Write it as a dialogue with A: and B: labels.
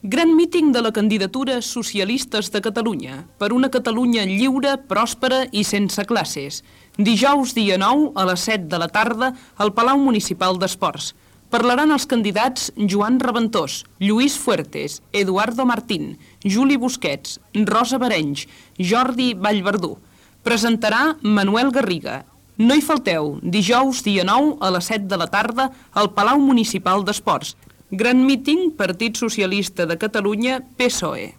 A: Gran míting de la candidatura Socialistes de Catalunya per una Catalunya lliure, pròspera i sense classes. Dijous, dia 9, a les 7 de la tarda, al Palau Municipal d'Esports. Parlaran els candidats Joan Raventós, Lluís Fuertes, Eduardo Martín, Juli Busquets, Rosa Barenys, Jordi Vallverdú. Presentarà Manuel Garriga. No hi falteu, dijous, dia 9, a les 7 de la tarda, al Palau Municipal d'Esports. Gran míting, Partit Socialista de Catalunya, PSOE.